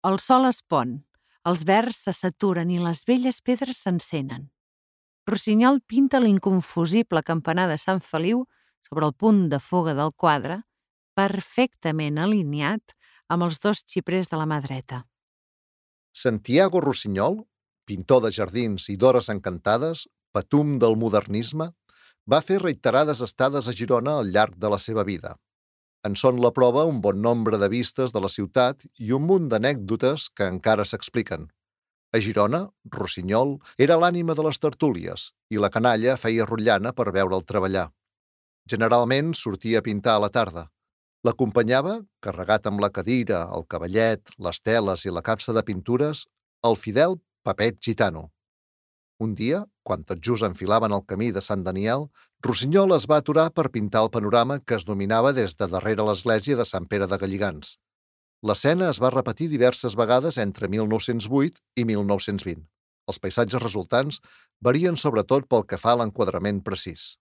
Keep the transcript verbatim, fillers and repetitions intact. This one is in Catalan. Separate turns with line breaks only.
El sol es pon, els verds se saturen i les velles pedres s'encenen. Rossinyol pinta l'inconfusible campanar de Sant Feliu sobre el punt de fuga del quadre, perfectament alineat amb els dos xiprers de la mà dreta.
Santiago Rossinyol, pintor de jardins i d'hores encantades, patum del modernisme, va fer reiterades estades a Girona al llarg de la seva vida. En són la prova un bon nombre de vistes de la ciutat i un munt d'anècdotes que encara s'expliquen. A Girona, Rossinyol era l'ànima de les tertúlies i la canalla feia rotllana per veure'l treballar. Generalment sortia a pintar a la tarda. L'acompanyava, carregat amb la cadira, el cavallet, les teles i la capsa de pintures, el fidel Pepet Gitano. Un dia, quan tot just enfilaven el camí de Sant Daniel, Rossinyol es va aturar per pintar el panorama que es dominava des de darrere l'església de Sant Pere de Galligants. L'escena es va repetir diverses vegades entre mil nou-cents vuit i mil nou-cents vint. Els paisatges resultants varien sobretot pel que fa a l'enquadrament precís.